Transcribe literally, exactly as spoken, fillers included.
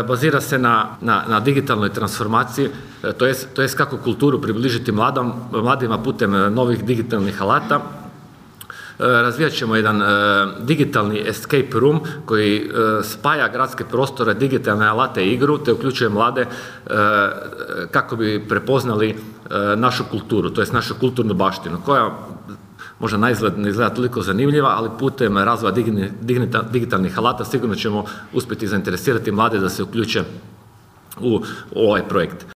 Bazira se na, na, na digitalnoj transformaciji, to jest, to jest kako kulturu približiti mladom, mladima putem novih digitalnih alata. Razvijat ćemo jedan uh, digitalni escape room koji uh, spaja gradske prostore, digitalne alate i igru, te uključuje mlade uh, kako bi prepoznali uh, našu kulturu, to jest našu kulturnu baštinu, koja možda na izgled ne izgleda toliko zanimljiva, ali putem razvoja digitalnih alata sigurno ćemo uspjeti zainteresirati mlade da se uključe u ovaj projekt.